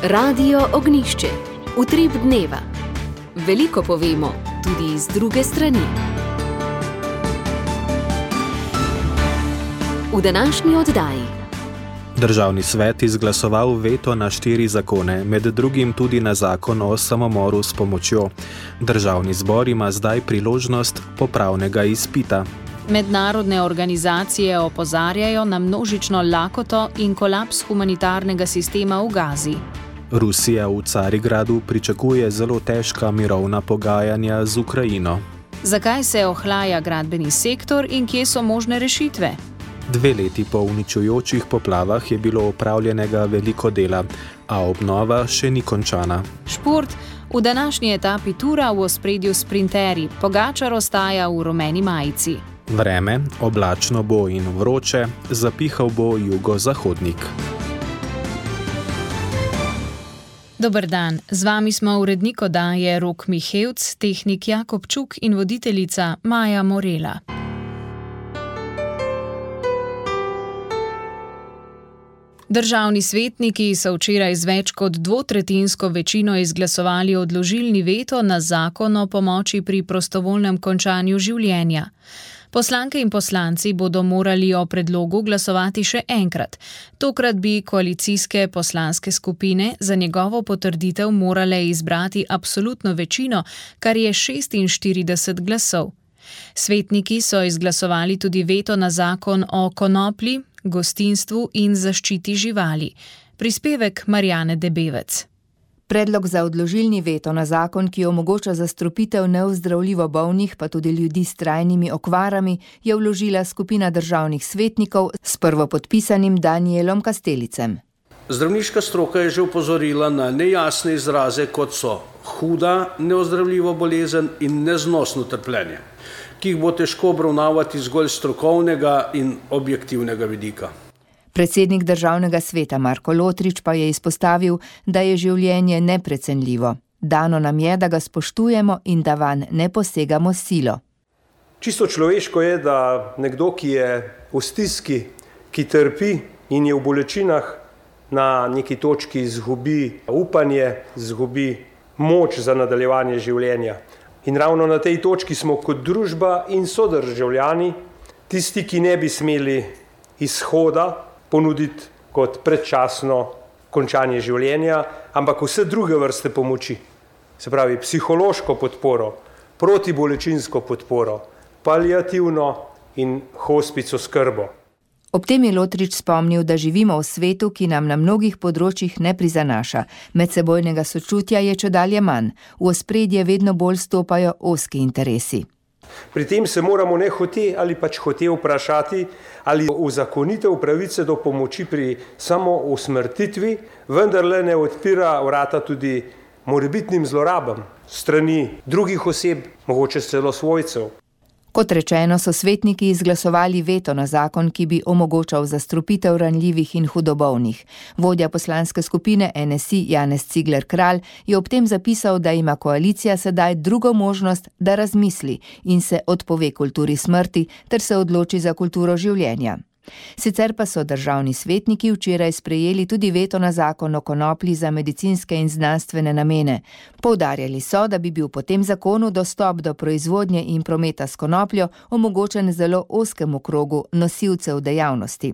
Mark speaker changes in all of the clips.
Speaker 1: Radio Ognjišče. Utrip dneva. Veliko povemo, tudi z druge strani. V današnji oddaji.
Speaker 2: Državni svet izglasoval veto na 4 zakone, med drugim tudi na zakon o samomoru s pomočjo. Državni zbor ima zdaj priložnost popravnega izpita.
Speaker 3: Mednarodne organizacije opozarjajo na množično lakoto in kolaps humanitarnega sistema v Gazi.
Speaker 2: Rusija v Carigradu pričakuje zelo težka mirovna pogajanja z Ukrajino.
Speaker 3: Zakaj se ohlaja gradbeni sektor in kje so možne rešitve?
Speaker 2: 2 leti po uničujočih poplavah je bilo opravljenega veliko dela, a obnova še ni končana.
Speaker 3: Šport. V današnji etapi tura v ospredju sprinterji. Pogačar ostaja v rumeni majici.
Speaker 2: Vreme, oblačno bo in vroče, zapihal bo jugozahodnik.
Speaker 3: Dober dan, z vami smo urednik oddaje Rok Mihevc, tehnik Jakob Čuk in voditeljica Maja Morela. Državni svetniki so včeraj z več kot 2/3 večino izglasovali odložilni veto na zakon o pomoči pri prostovoljnem končanju življenja. Poslanke in poslanci bodo morali o predlogu glasovati še enkrat. Tokrat bi koalicijske poslanske skupine za njegovo potrditev morale izbrati absolutno večino, kar je 46 glasov. Svetniki so izglasovali tudi veto na zakon o konoplji, gostinstvu in zaščiti živali. Prispevek Marjane Debevec.
Speaker 4: Predlog za odložilni veto na zakon, ki omogoča zastrupitev neozdravljivo bolnih, pa tudi ljudi s trajnimi okvarami, je vložila skupina državnih svetnikov s prvopodpisanim Danielom Kastelicem.
Speaker 5: Zdravniška stroka je že opozorila na nejasne izraze, kot so huda neozdravljiva bolezen in neznosno trpljenje, ki jih bo težko obravnavati zgolj strokovnega in objektivnega vidika.
Speaker 4: Predsednik državnega sveta Marko Lotrič pa je izpostavil, da je življenje neprecenljivo. Dano nam je, da ga spoštujemo in da vanj ne posegamo s silo.
Speaker 6: Čisto človeško je, da nekdo, ki je v stiski, ki trpi in je v bolečinah, na neki točki izgubi upanje, izgubi moč za nadaljevanje življenja. In ravno na tej točki smo kot družba in sodržavljani tisti, ki ne bi smeli izhoda ponuditi kot predčasno končanje življenja, ampak vse druge vrste pomoči. Se pravi, psihološko podporo, protibolečinsko podporo, paliativno in hospic oskrbo.
Speaker 4: Ob tem je Lotrič spomnil, da živimo v svetu, ki nam na mnogih področjih ne prizanaša. Medsebojnega sočutja je čedalje manj. V ospredje vedno bolj stopajo ozki interesi.
Speaker 6: Pri tem se moramo nehote ali pač hote vprašati, ali uzakonitev pravice do pomoči pri samousmrtitvi vendarle ne odpira vrata tudi morebitnim zlorabam strani drugih oseb, mogoče celo svojcev.
Speaker 4: Kot rečeno, so svetniki izglasovali veto na zakon, ki bi omogočal zastrupitev ranljivih in hudobolnih. Vodja poslanske skupine NSI Janez Cigler Kralj je ob tem zapisal, da ima koalicija sedaj drugo možnost, da razmisli in se odpove kulturi smrti ter se odloči za kulturo življenja. Sicer pa so državni svetniki včeraj sprejeli tudi veto na zakon o konoplji za medicinske in znanstvene namene. Poudarjali so, da bi bil po tem zakonu dostop do proizvodnje in prometa s konopljo omogočen zelo ozkemu krogu nosilcev dejavnosti.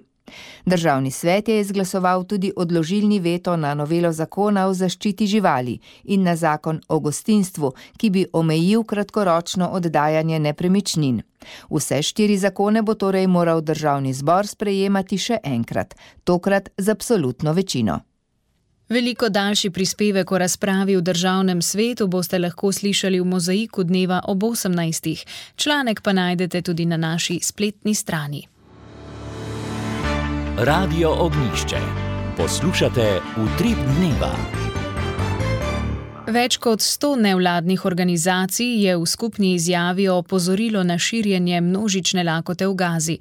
Speaker 4: Državni svet je izglasoval tudi odložilni veto na novelo zakona o zaščiti živali in na zakon o gostinstvu, ki bi omejil kratkoročno oddajanje nepremičnin. Vse 4 zakone bo torej moral državni zbor sprejemati še enkrat, tokrat z absolutno večino.
Speaker 3: Veliko daljši prispevek o razpravi v državnem svetu boste lahko slišali v Mozaiku dneva ob 18. Članek pa najdete tudi na naši spletni strani.
Speaker 7: Radio Ognjišče. Poslušate Utrip dneva.
Speaker 3: Več kot 100 nevladnih organizacij je v skupni izjavi opozorilo na širjenje množične lakote v Gazi.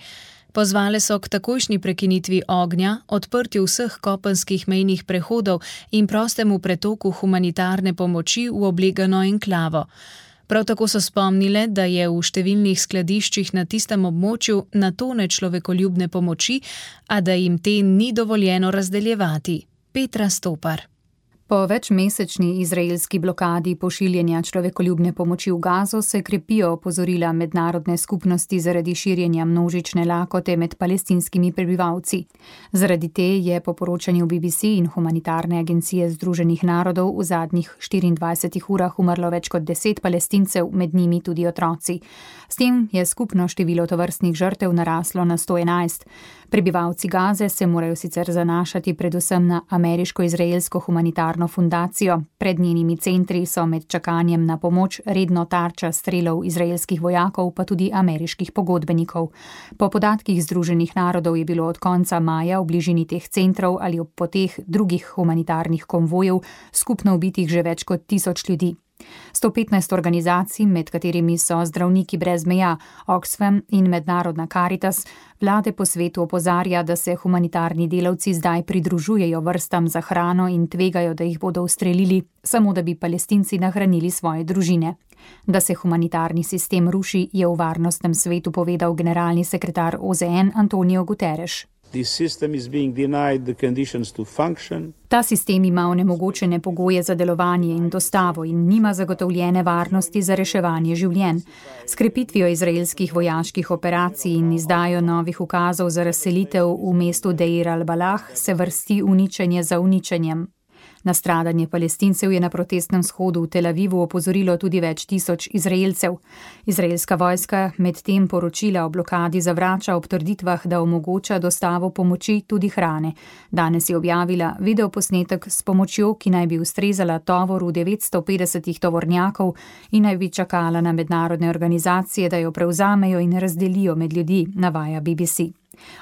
Speaker 3: Pozvale so k takojšnji prekinitvi ognja, odprtju vseh kopenskih mejnih prehodov in prostemu pretoku humanitarne pomoči v oblegano enklavo. Prav tako so spomnile, da je v številnih skladiščih na tistem območju na tone človekoljubne pomoči, a da jim te ni dovoljeno razdeljevati. Petra Stopar.
Speaker 8: Po večmesečni izraelski blokadi pošiljanja človekoljubne pomoči v Gazo se krepijo opozorila mednarodne skupnosti zaradi širjenja množične lakote med palestinskimi prebivalci. Zaradi te je po poročanju BBC in humanitarne agencije Združenih narodov v zadnjih 24 urah umrlo več kot 10 Palestincev, med njimi tudi otroci. S tem je skupno število tovrstnih žrtev naraslo na 111. Prebivalci Gaze se morajo sicer zanašati predvsem na ameriško-izraelsko humanitarno fundacijo. Pred njenimi centri so med čakanjem na pomoč redno tarča strelov izraelskih vojakov, pa tudi ameriških pogodbenikov. Po podatkih Združenih narodov je bilo od konca maja v bližini teh centrov ali ob poteh drugih humanitarnih konvojev skupno ubitih že več kot 1000 ljudi. 115 organizacij, med katerimi so Zdravniki brez meja, Oxfam in Mednarodna Karitas, vlade po svetu opozarja, da se humanitarni delavci zdaj pridružujejo vrstam za hrano in tvegajo, da jih bodo ustrelili, samo da bi Palestinci nahranili svoje družine. Da se humanitarni sistem ruši, je v Varnostnem svetu povedal generalni sekretar OZN Antonio Guterres. Ta sistem ima onemogočene pogoje za delovanje in dostavo in nima zagotovljene varnosti za reševanje življenj. S krepitvijo izraelskih vojaških operacij in izdajo novih ukazov za razselitev v mestu Deir al-Balah se vrsti uničenje za uničenjem. Na stradanje Palestincev je na protestnem shodu v Tel Avivu opozorilo tudi več tisoč Izraelcev. Izraelska vojska medtem poročila o blokadi zavrača ob trditvah, da omogoča dostavo pomoči, tudi hrane. Danes je objavila videoposnetek s pomočjo, ki naj bi ustrezala tovoru 950 tovornjakov in naj bi čakala na mednarodne organizacije, da jo prevzamejo in razdelijo med ljudi, navaja BBC.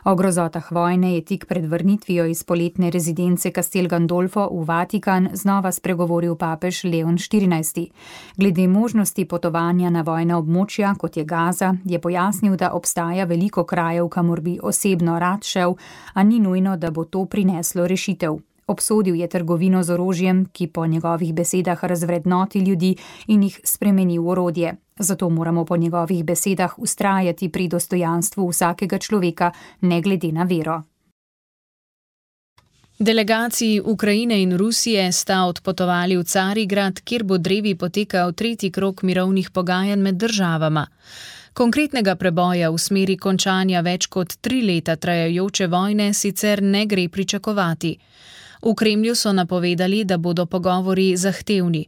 Speaker 8: O grozotah vojne je tik pred vrnitvijo iz poletne rezidence Castel Gandolfo v Vatikan znova spregovoril papež Leon XIV. Glede možnosti potovanja na vojna območja, kot je Gaza, je pojasnil, da obstaja veliko krajev, kamor bi osebno rad šel, a ni nujno, da bo to prineslo rešitev. Obsodil je trgovino z orožjem, ki po njegovih besedah razvrednoti ljudi in jih spremeni v orodje. Zato moramo po njegovih besedah vztrajati pri dostojanstvu vsakega človeka, ne glede na vero.
Speaker 3: Delegaciji Ukrajine in Rusije sta odpotovali v Carigrad, kjer bo drevi potekal 3. krog mirovnih pogajanj med državama. Konkretnega preboja v smeri končanja več kot 3 leta trajajoče vojne sicer ne gre pričakovati. V Kremlju so napovedali, da bodo pogovori zahtevni.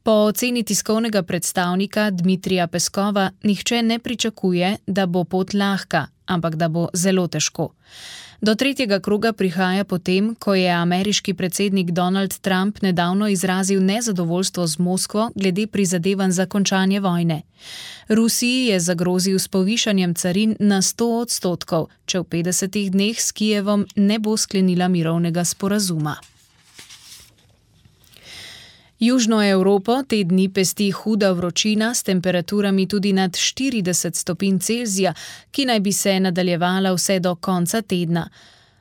Speaker 3: Po oceni tiskovnega predstavnika Dmitrija Peskova nihče ne pričakuje, da bo pot lahka, ampak da bo zelo težko. Do 3. kroga prihaja potem, ko je ameriški predsednik Donald Trump nedavno izrazil nezadovoljstvo z Moskvo glede prizadevanj za končanje vojne. Rusiji je zagrozil s povišanjem carin na 100%, če v 50 dneh s Kijevom ne bo sklenila mirovnega sporazuma. Južno Evropo te dni pesti huda vročina s temperaturami tudi nad 40 stopinj Celzija, ki naj bi se nadaljevala vse do konca tedna.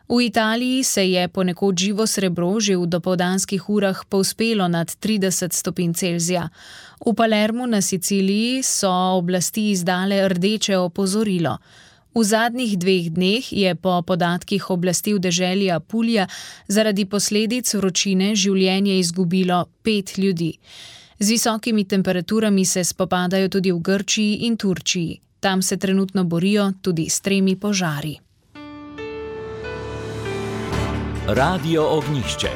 Speaker 3: V Italiji se je ponekod živo srebro že v dopoldanskih urah povzpelo nad 30 stopinj Celzija. V Palermu na Siciliji so oblasti izdale rdeče opozorilo. V zadnjih 2 dneh je po podatkih oblasti v deželi Apulija zaradi posledic vročine življenje izgubilo 5 ljudi. Z visokimi temperaturami se spopadajo tudi v Grčiji in Turčiji. Tam se trenutno borijo tudi s 3 požari.
Speaker 7: Radio Ognjišče.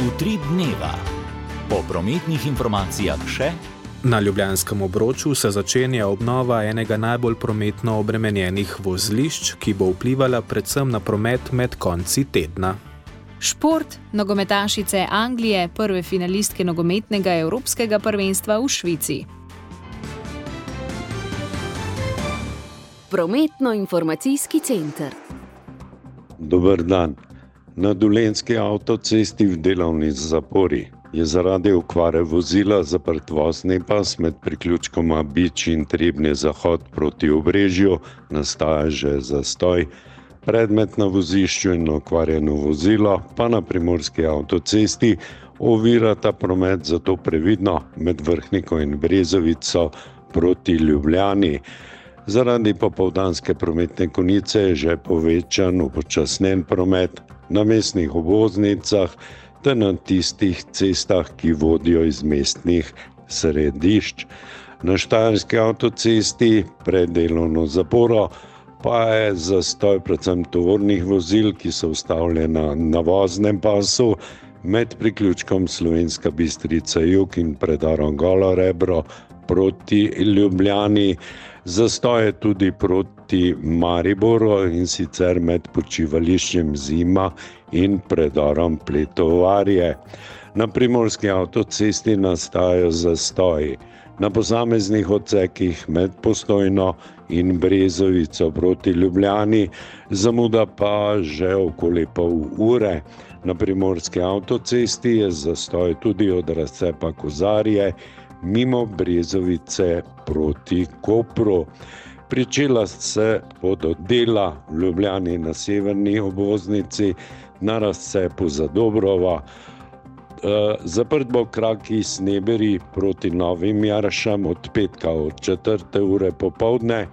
Speaker 7: Utrip dneva. Po prometnih informacijah še.
Speaker 2: Na Ljubljanskem obroču se začenja obnova enega najbolj prometno obremenjenih vozlišč, ki bo vplivala predvsem na promet med konci tedna.
Speaker 3: Šport, nogometašice Anglije, prve finalistke nogometnega evropskega prvenstva v Švici.
Speaker 1: Prometno-informacijski center.
Speaker 9: Dober dan. Na Dolenjski avtocesti v delovni zapori je zaradi okvare vozila zaprt vozni pas med priključkoma Bič in Trebnje zahod proti Obrežju, nastaja že zastoj. Predmet na vozišču in okvarjeno vozilo pa na primorski avtocesti ovirata promet, zato previdno med Vrhniko in Brezovico proti Ljubljani. Zaradi popoldanske prometne konice je že povečan upočasnjen promet na mestnih obvoznicah ter na tistih cestah, ki vodijo iz mestnih središč. Na Štajerski avtocesti pred delovno zaporo pa je zastoj predvsem tovornih vozil, ki so ustavljena na voznem pasu med priključkom Slovenska Bistrica jug in predarom Golo Rebro proti Ljubljani. Zastoj je tudi proti Mariboru, in sicer med počivališčem Zima in predarom Pletovarje. Na primorski avtocesti nastajajo zastoji. Na posameznih odsekih med Postojno in Brezovico proti Ljubljani, zamuda pa že okoli pol ure. Na primorski avtocesti je zastoj tudi od razcepa Kozarje mimo Brezovice proti Kopru. Pričela se bodo dela v Ljubljani na severni obvoznici, na razcepu Zadobrova. Zaprt bo krak iz Sneberi proti Novim Jaršam od petka od 4. ure popoldne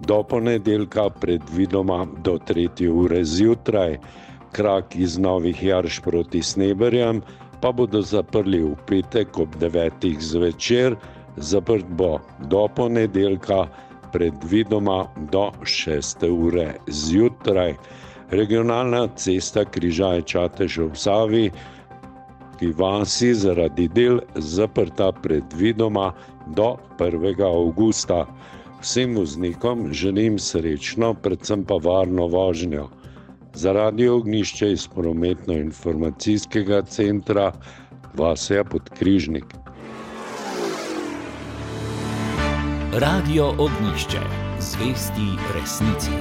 Speaker 9: do ponedeljka predvidoma do 3. ure zjutraj. Krak iz Novih Jarš proti Sneberjam pa bodo zaprli v petek ob 9. zvečer, zaprt bo do ponedeljka predvidoma do 6. ure zjutraj. Regionalna cesta Križaj-Čatež ob Savi ki vasi zaradi del zaprta predvidoma do 1. avgusta. Vsem voznikom želim srečno, predvsem pa varno vožnjo. Za Radio Ognjišče iz prometno-informacijskega centra Vasja Podkrižnik.
Speaker 7: Radio Ognjišče, zvesti resnici.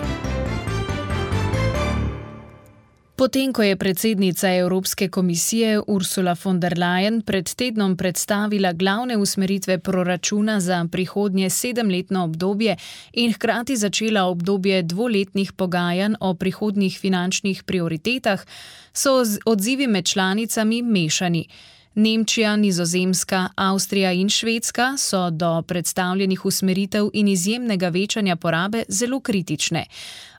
Speaker 3: Potem, ko je predsednica Evropske komisije Ursula von der Leyen pred tednom predstavila glavne usmeritve proračuna za prihodnje 7-letno obdobje in hkrati začela obdobje 2-letnih pogajanj o prihodnjih finančnih prioritetah, so odzivi med članicami mešani. Nemčija, Nizozemska, Avstrija in Švedska so do predstavljenih usmeritev in izjemnega večanja porabe zelo kritične.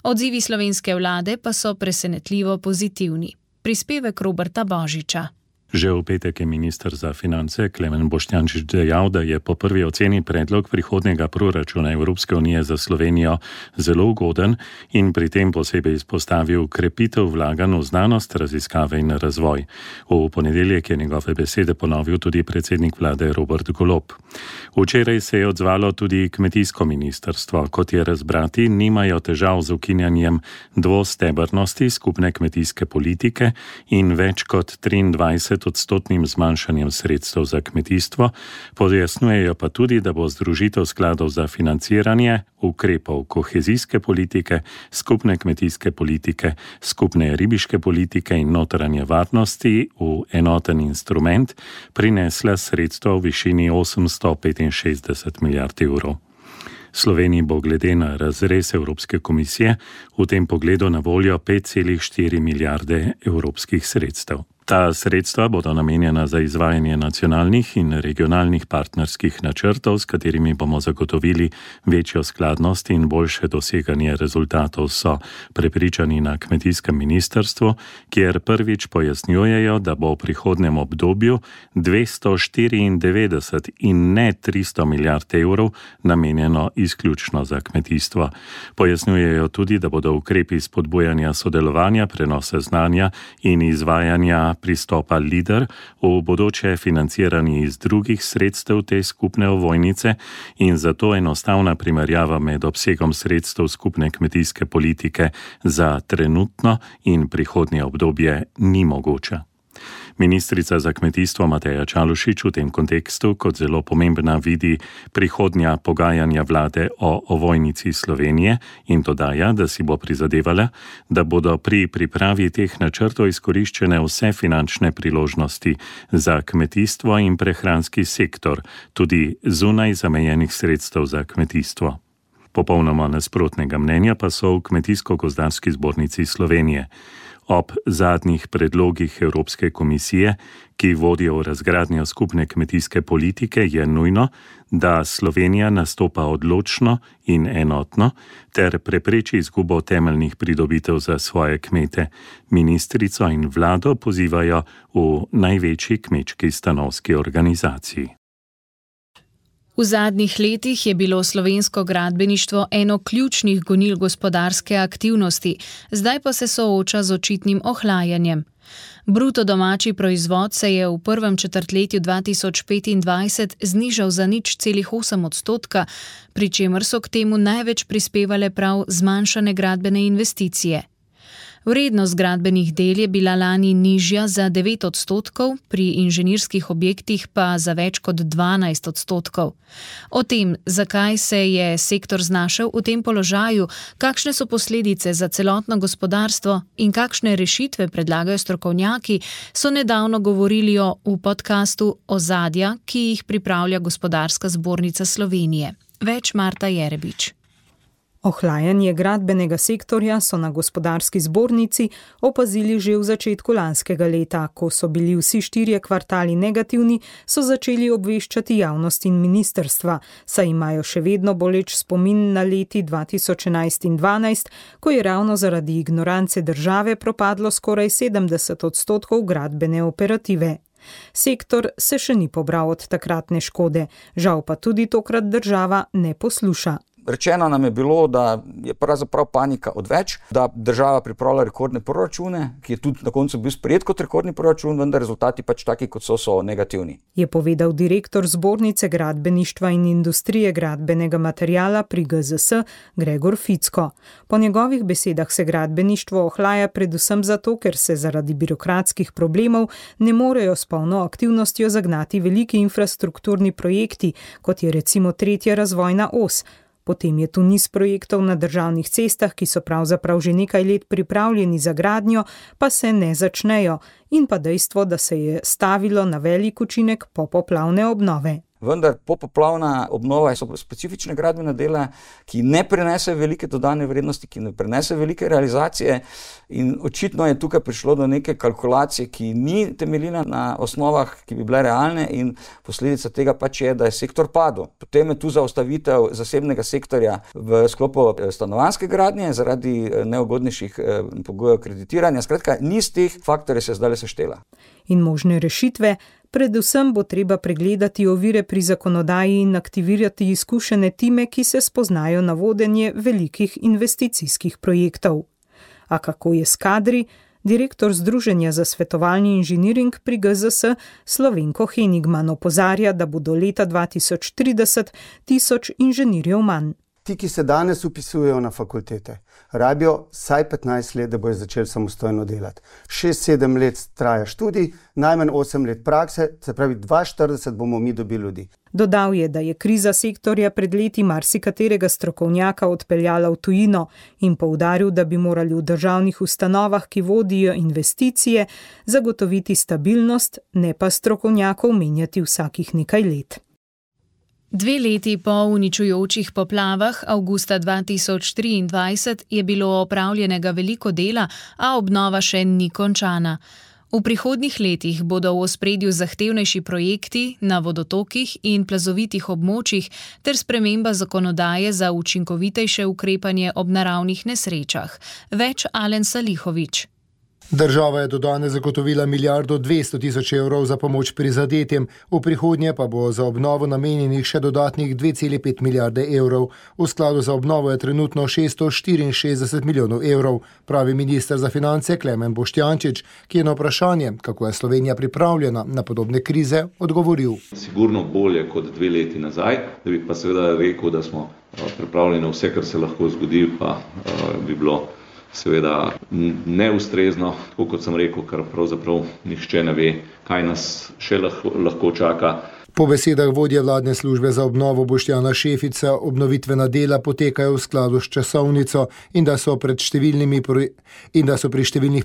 Speaker 3: Odzivi slovenske vlade pa so presenetljivo pozitivni. Prispevek Roberta Božiča.
Speaker 10: Že v petek je minister za finance Klemen Boštjančič dejal, da je po prvi oceni predlog prihodnjega proračuna Evropske unije za Slovenijo zelo ugoden in pri tem posebej izpostavil krepitev vlaganj v znanost, raziskave in razvoj. V ponedeljek je njegove besede ponovil tudi predsednik vlade Robert Golob. Včeraj se je odzvalo tudi kmetijsko ministrstvo. Kot je razbrati, nimajo težav z ukinjanjem dvostebrnosti skupne kmetijske politike in več kot 23% zmanjšanjem sredstev za kmetijstvo, pojasnjujejo pa tudi, da bo združitev skladov za financiranje ukrepov kohezijske politike, skupne kmetijske politike, skupne ribiške politike in notranje varnosti v enoten instrument prinesla sredstva v višini 865 milijard evrov. Sloveniji bo glede na razrez Evropske komisije v tem pogledu na voljo 5,4 milijarde evropskih sredstev. Ta sredstva bodo namenjena za izvajanje nacionalnih in regionalnih partnerskih načrtov, s katerimi bomo zagotovili večjo skladnost in boljše doseganje rezultatov, so prepričani na kmetijskem ministrstvu, kjer prvič pojasnjujejo, da bo v prihodnjem obdobju 294 in ne 300 milijard evrov namenjeno izključno za kmetijstvo. Pojasnjujejo tudi, da bodo ukrepi spodbujanja sodelovanja, prenosa znanja in izvajanja pristopa LIDER v bodoče financirani iz drugih sredstev te skupne ovojnice in zato enostavna primerjava med obsegom sredstev skupne kmetijske politike za trenutno in prihodnje obdobje ni mogoča. Ministrica za kmetijstvo Mateja Čalušić v tem kontekstu kot zelo pomembna vidi prihodnja pogajanja vlade o ovojnici Slovenije in dodaja, da si bo prizadevala, da bodo pri pripravi teh načrtov izkoriščene vse finančne priložnosti za kmetijstvo in prehranski sektor, tudi zunaj zamejenih sredstev za kmetijstvo. Popolnoma nasprotnega mnenja pa so v Kmetijsko-gozdarski zbornici Slovenije. Ob zadnjih predlogih Evropske komisije, ki vodijo v razgradnjo skupne kmetijske politike, je nujno, da Slovenija nastopa odločno in enotno ter prepreči izgubo temeljnih pridobitev za svoje kmete. Ministrico in vlado pozivajo v največji kmečki stanovski organizaciji.
Speaker 3: V zadnjih letih je bilo slovensko gradbeništvo eno ključnih gonil gospodarske aktivnosti, zdaj pa se sooča z očitnim ohlajanjem. Bruto domači proizvod se je v prvem četrtletju 2025 znižal za 0,8%, pri čemer so k temu največ prispevale prav zmanjšane gradbene investicije. Vrednost gradbenih del je bila lani nižja za 9%, pri inženirskih objektih pa za več kot 12%. O tem, zakaj se je sektor znašel v tem položaju, kakšne so posledice za celotno gospodarstvo in kakšne rešitve predlagajo strokovnjaki, so nedavno govorili v podkastu Ozadja, ki jih pripravlja Gospodarska zbornica Slovenije. Več Marta Jerebič.
Speaker 11: Ohlajanje gradbenega sektorja so na Gospodarski zbornici opazili že v začetku lanskega leta. Ko so bili vsi 4 kvartali negativni, so začeli obveščati javnost in ministrstva, saj imajo še vedno boleč spomin na leti 2011 in 2012, ko je ravno zaradi ignorance države propadlo skoraj 70% gradbene operative. Sektor se še ni pobral od takratne škode, žal pa tudi tokrat država ne posluša.
Speaker 12: Rečeno nam je bilo, da je pravzaprav panika odveč, da država pripravlja rekordne proračune, ki je tudi na koncu bil sprejet kot rekordni proračun, vendar rezultati pač taki, kot so negativni.
Speaker 11: Je povedal direktor Zbornice gradbeništva in industrije gradbenega materiala pri GZS Gregor Ficko. Po njegovih besedah se gradbeništvo ohlaja predvsem zato, ker se zaradi birokratskih problemov ne morejo s polno aktivnostjo zagnati veliki infrastrukturni projekti, kot je recimo 3. razvojna os. Potem je tu niz projektov na državnih cestah, ki so pravzaprav že nekaj let pripravljeni za gradnjo, pa se ne začnejo, in pa dejstvo, da se je stavilo na velik učinek popoplavne obnove.
Speaker 12: Vendar popoplavna obnova so specifične gradbene dela, ki ne prenese velike dodane vrednosti, ki ne prenese velike realizacije, in očitno je tukaj prišlo do neke kalkulacije, ki ni temeljila na osnovah, ki bi bile realne, in posledica tega pač je, da je sektor padel. Potem je tu zaustavitev zasebnega sektorja v sklopu stanovanjske gradnje zaradi neugodnejših pogojev kreditiranja. Skratka, niz teh faktorjev se zdaj seštela.
Speaker 11: In možne rešitve. Predvsem bo treba pregledati ovire pri zakonodaji in aktivirati izkušene time, ki se spoznajo na vodenje velikih investicijskih projektov. A kako je s kadri? Direktor Združenja za svetovalni inženiring pri GZS Slovenko Henigman opozarja, da bo do leta 2030 1000 inženirjev manj.
Speaker 13: Ti, ki se danes upisujejo na fakultete, rabijo vsaj 15 let, da bojo začeli samostojno delati. 6-7 let traja študij, najmanj 8 let prakse, se pravi 2040 bomo mi dobili ljudi.
Speaker 11: Dodal je, da je kriza sektorja pred leti marsikaterega strokovnjaka odpeljala v tujino in poudaril, da bi morali v državnih ustanovah, ki vodijo investicije, zagotoviti stabilnost, ne pa strokovnjakov menjati vsakih nekaj let.
Speaker 3: 2 leti po uničujočih poplavah avgusta 2023 je bilo opravljenega veliko dela, a obnova še ni končana. V prihodnjih letih bodo v ospredju zahtevnejši projekti na vodotokih in plazovitih območjih ter sprememba zakonodaje za učinkovitejše ukrepanje ob naravnih nesrečah. Več Alen Salihović.
Speaker 14: Država je do danes zagotovila 1,2 milijarde za pomoč prizadetim, v prihodnje pa bo za obnovo namenjenih še dodatnih 2,5 milijarde evrov. V skladu za obnovo je trenutno 664 milijonov evrov, pravi minister za finance Klemen Boštjančič, ki je na vprašanje, kako je Slovenija pripravljena na podobne krize, odgovoril.
Speaker 15: Sigurno bolje kot 2 leti nazaj, da bi pa seveda rekel, da smo pripravljeni vse, kar se lahko zgodi, pa bi bilo seveda neustrezno, tako kot sem rekel, ker pravzaprav nihče ne ve, kaj nas še lahko čaka.
Speaker 14: Po besedah vodje vladne službe za obnovo Boštjana Šefica obnovitvena dela potekajo v skladu s časovnico in da so pri številnih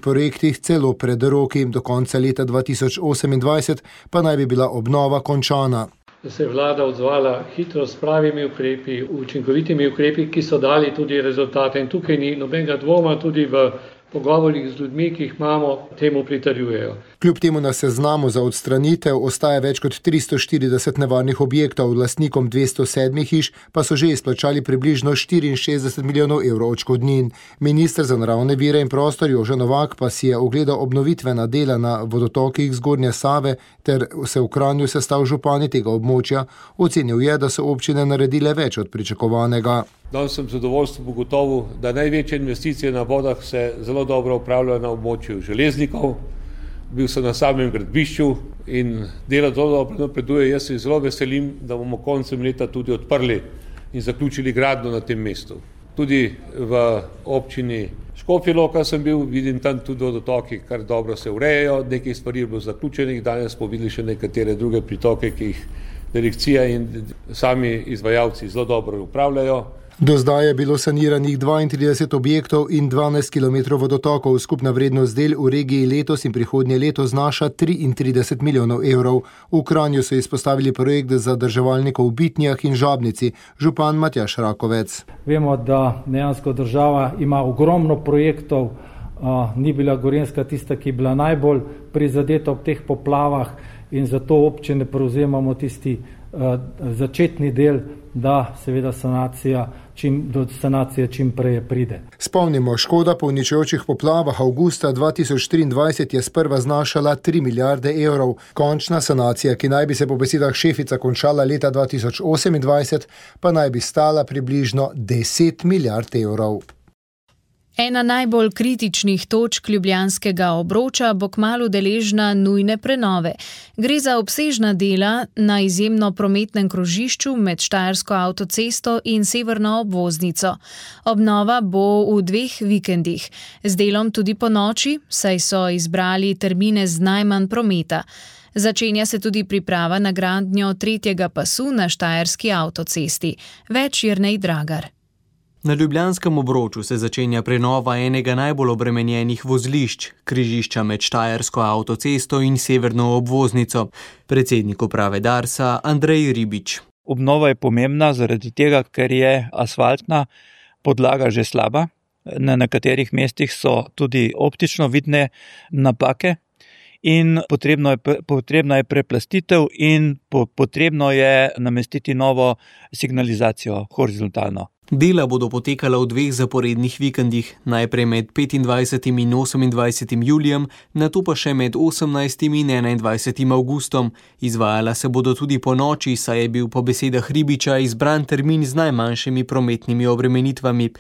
Speaker 14: projektih celo pred roki. Do konca leta 2028 pa naj bi bila obnova končana.
Speaker 16: Da se je vlada odzvala hitro s pravimi ukrepi, učinkovitimi ukrepi, ki so dali tudi rezultate. In tukaj ni nobenega dvoma, tudi v pogovorih z ljudmi, ki jih imamo, temu pritrjujejo.
Speaker 14: Kljub temu na seznamu za odstranitev ostaja več kot 340 nevarnih objektov, lastnikom 207 hiš pa so že izplačali približno 64 milijonov evrov odškodnin. Minister za naravne vire in prostor Jože Novak pa si je ogledal obnovitvena dela na vodotokih Zgornje Save ter se v Kranju sestal župani tega območja. Ocenil je, da so občine naredile več od pričakovanega.
Speaker 17: Danes sem zadovoljstvo ugotovil, da največje investicije na vodah se zelo dobro upravljajo na območju Železnikov. Bil sem na samem gradbišču in delo zelo dobro napreduje. Jaz se zelo veselim, da bomo koncem leta tudi odprli in zaključili gradnjo na tem mestu. Tudi v občini Škofja Loka sem bil, vidim tam tudi vodotoki, kar dobro se urejajo, nekaj stvari je bilo zaključenih, danes smo videli še nekatere druge pritoke, ki jih direkcija in sami izvajalci zelo dobro upravljajo.
Speaker 14: Do zdaj je bilo saniranih 32 objektov in 12 km vodotokov. Skupna vrednost del v regiji letos in prihodnje leto znaša 33 milijonov evrov. V Kranju so izpostavili projekt zadrževalnikov v Bitnjah in Žabnici. Župan Matjaž Rakovec.
Speaker 18: Vemo, da dejansko država ima ogromno projektov, ni bila Gorenjska tista, ki je bila najbolj prizadeta ob teh poplavah in zato občine prevzemamo tisti začetni del, da seveda do sanacije čim prej pride.
Speaker 14: Spomnimo, škoda po uničujočih poplavah avgusta 2023 je sprva znašala 3 milijarde evrov. Končna sanacija, ki naj bi se po besedah Šefica končala leta 2028, pa naj bi stala približno 10 milijard evrov.
Speaker 3: Ena najbolj kritičnih točk ljubljanskega obroča bo kmalu deležna nujne prenove. Gre za obsežna dela na izjemno prometnem krožišču med Štajersko avtocesto in severno obvoznico. Obnova bo v 2 vikendih, z delom tudi po noči, saj so izbrali termine z najmanj prometa. Začenja se tudi priprava na gradnjo 3. pasu na Štajerski avtocesti. Več Jernej Dragar.
Speaker 19: Na ljubljanskem obroču se začenja prenova enega najbolj obremenjenih vozlišč, križišča med Štajersko avtocesto in severno obvoznico. Predsednik uprave Darsa Andrej Ribič.
Speaker 20: Obnova je pomembna zaradi tega, ker je asfaltna podlaga že slaba. Na nekaterih mestih so tudi optično vidne napake in potrebna je preplastitev in potrebno je namestiti novo signalizacijo horizontalno.
Speaker 19: Dela bodo potekala v 2 zaporednih vikendih, najprej med 25. in 28. julijem, nato pa še med 18. in 21. avgustom. Izvajala se bodo tudi po noči, saj je bil po besedah Ribiča izbran termin z najmanjšimi prometnimi obremenitvami.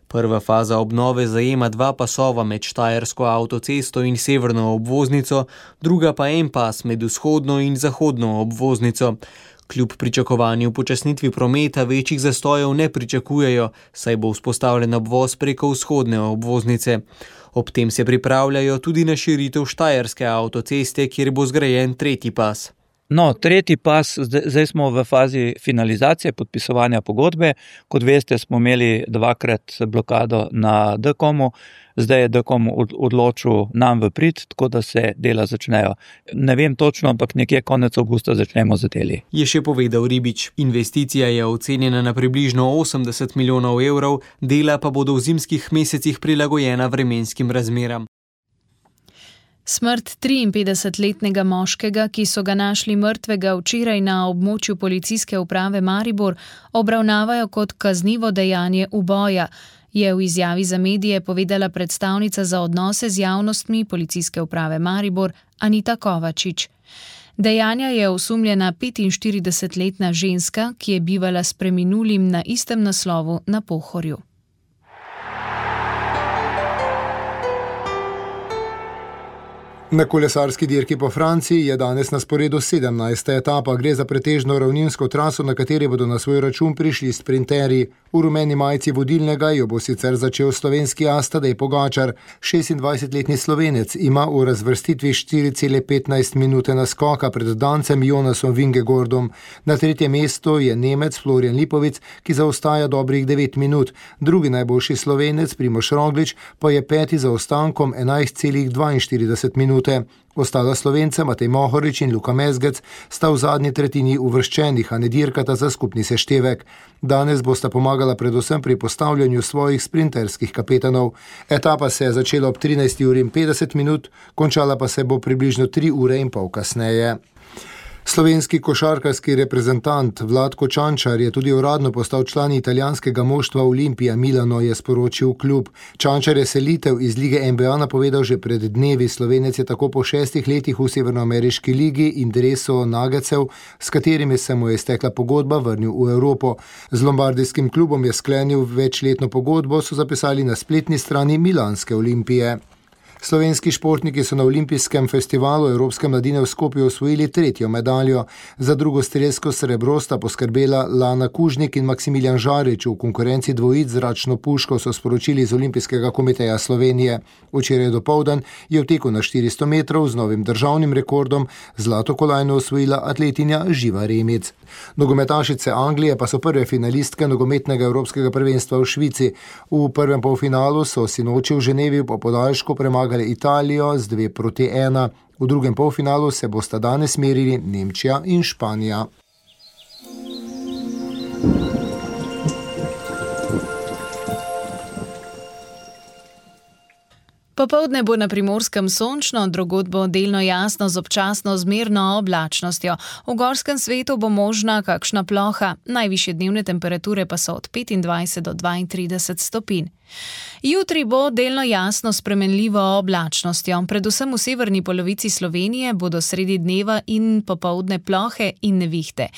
Speaker 19: Prva faza obnove zajema 2 pasova med Štajersko avtocesto in severno obvoznico, druga pa en pas med vzhodno in zahodno obvoznico. Kljub pričakovanju upočasnitvi prometa večjih zastojev ne pričakujejo, saj bo vzpostavljen obvoz preko vzhodne obvoznice. Ob tem se pripravljajo tudi na širitev Štajerske avtoceste, kjer bo zgrajen 3. pas.
Speaker 20: No, 3. pas, zdaj smo v fazi finalizacije podpisovanja pogodbe. Kot veste, smo imeli 2-krat blokado na DKOM-u, zdaj je DKOM odločil nam v prid, tako da se dela začnejo. Ne vem točno, ampak nekje konec avgusta začnemo z deli.
Speaker 19: Je še povedal Ribič. Investicija je ocenjena na približno 80 milijonov evrov, dela pa bodo v zimskih mesecih prilagojena vremenskim razmeram.
Speaker 3: Smrt 53-letnega moškega, ki so ga našli mrtvega včeraj na območju policijske uprave Maribor, obravnavajo kot kaznivo dejanje uboja, je v izjavi za medije povedala predstavnica za odnose z javnostmi policijske uprave Maribor Anita Kovačič. Dejanja je osumljena 45-letna ženska, ki je bivala s preminulim na istem naslovu na Pohorju.
Speaker 14: Na kolesarski dirki po Franciji je danes na sporedu 17. etapa. Gre za pretežno ravninsko traso, na kateri bodo na svoj račun prišli sprinterji. V rumeni majici vodilnega jo bo sicer začel slovenski as Tadej Pogačar. 26-letni Slovenec ima v razvrstitvi 4,15 minute naskoka pred Dancem Jonasom Vingegordom. Na 3. mestu je Nemec Florian Lipovic, ki zaostaja dobrih 9 minut. Drugi najboljši Slovenec Primož Roglič pa je 5. zaostankom 11,42 minut. minute. Ostala Slovenca Matej Mohorič in Luka Mezgec sta v zadnji tretjini uvrščenih, a ne dirkata za skupni seštevek. Danes bosta pomagala predvsem pri postavljanju svojih sprinterskih kapetanov. Etapa se je začela ob 13:50, končala pa se bo približno 3:30 kasneje. Slovenski košarkarski reprezentant Vlatko Čančar je tudi uradno postal član italijanskega moštva Olimpija Milano, je sporočil klub. Čančar je selitev iz lige NBA napovedal že pred dnevi. Slovenec je tako po 6 letih v severnoameriški ligi in dresu Nuggetsov, s katerimi se mu je iztekla pogodba, vrnil v Evropo. Z lombardijskim klubom je sklenil večletno pogodbo, so zapisali na spletni strani milanske Olimpije. Slovenski športniki so na olimpijskem festivalu Evropske mladine v Skopju osvojili 3. medaljo. Za drugo strelsko srebro sta poskrbela Lana Kužnik in Maksimilijan Žarič v konkurenci dvojic zračno puško, so sporočili iz Olimpijskega komiteja Slovenije. Včeraj dopoldan je v teku na 400 metrov z novim državnim rekordom zlato kolajno osvojila atletinja Živa Remec. Nogometašice Anglije pa so prve finalistke nogometnega evropskega prvenstva v Švici. V prvem polfinalu so sinoči v Ženevi po podaljšku premagali Italijo z 2:1. V drugem polfinalu se bosta danes merili Nemčija in Španija.
Speaker 3: Popoldne bo na Primorskem sončno, drugod bo delno jasno z občasno zmerno oblačnostjo. V gorskem svetu bo možna kakšna ploha, najvišje dnevne temperature pa so od 25 do 32 stopinj. Jutri bo delno jasno s spremenljivo oblačnostjo. Predvsem v severni polovici Slovenije bodo sredi dneva in popoldne plohe in nevihte.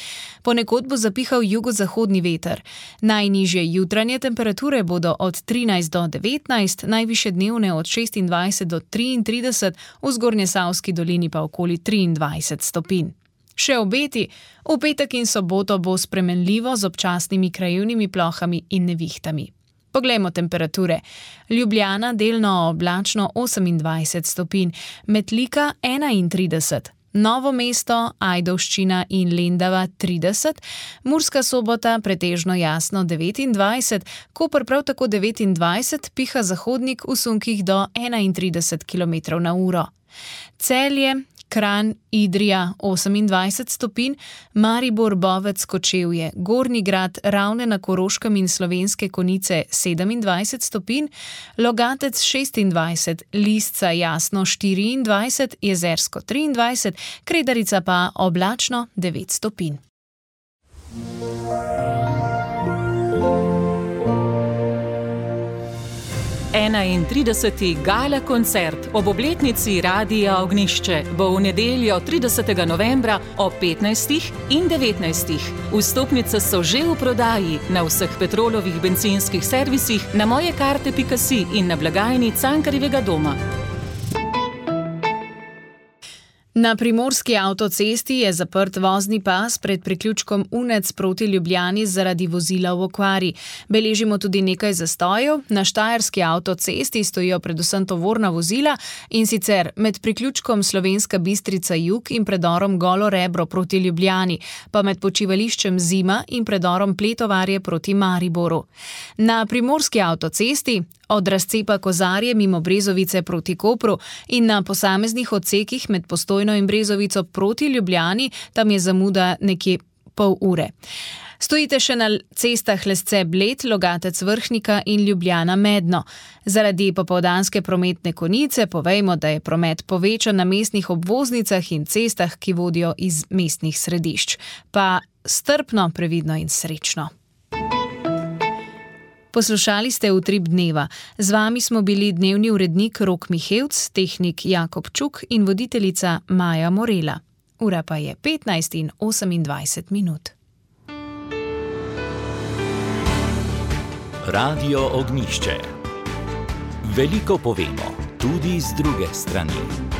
Speaker 3: Ponekod bo zapihal jugozahodni veter. Najnižje jutranje temperature bodo od 13 do 19, najvišje dnevne od 26 do 33, v Zgornjesavski dolini pa okoli 23 stopinj. Še obeti, v petek in soboto bo spremenljivo z občasnimi krajevnimi plohami in nevihtami. Poglejmo temperature. Ljubljana delno oblačno 28 stopinj, Metlika 31, Novo mesto, Ajdovščina in Lendava 30, Murska Sobota pretežno jasno 29, Koper prav tako 29, piha zahodnik v sunkih do 31 km/h. Celje, Kranj, Idrija 28 stopinj, Maribor, Bovec, Kočevje, Gornji Grad, Ravne na Koroškem in Slovenske Konjice 27 stopinj, Logatec 26, Lisca jasno 24, Jezersko 23, Kredarica pa oblačno 9 stopinj.
Speaker 21: In 30. gala koncert ob obletnici Radia Ognjišče bo v nedeljo 30. novembra ob 15. in 19. Vstopnice so že v prodaji na vseh Petrolovih bencinskih servisih, na mojekarte.si in na blagajni Cankarjevega doma.
Speaker 3: Na primorski avtocesti je zaprt vozni pas pred priključkom Unec proti Ljubljani zaradi vozila v okvari. Beležimo tudi nekaj zastojev. Na štajerski avtocesti stojijo predvsem tovorna vozila, in sicer med priključkom Slovenska Bistrica Jug in predorom Golo Rebro proti Ljubljani, pa med počivališčem Zima in predorom Pletovarje proti Mariboru. Na primorski avtocesti od razcepa Kozarje mimo Brezovice proti Kopru in na posameznih odsekih med Postojno in Brezovico proti Ljubljani, tam je zamuda nekje pol ure. Stojite še na cestah Lesce Bled, Logatec Vrhnika in Ljubljana Medno. Zaradi popoldanske prometne konice povejmo, da je promet povečan na mestnih obvoznicah in cestah, ki vodijo iz mestnih središč. Pa strpno, previdno in srečno. Poslušali ste Utrip dneva. Z vami smo bili dnevni urednik Rok Mihevc, tehnik Jakob Čuk in voditeljica Maja Morela. Ura pa je 15:28.
Speaker 7: Radio Ognjišče. Veliko povemo, tudi z druge strani.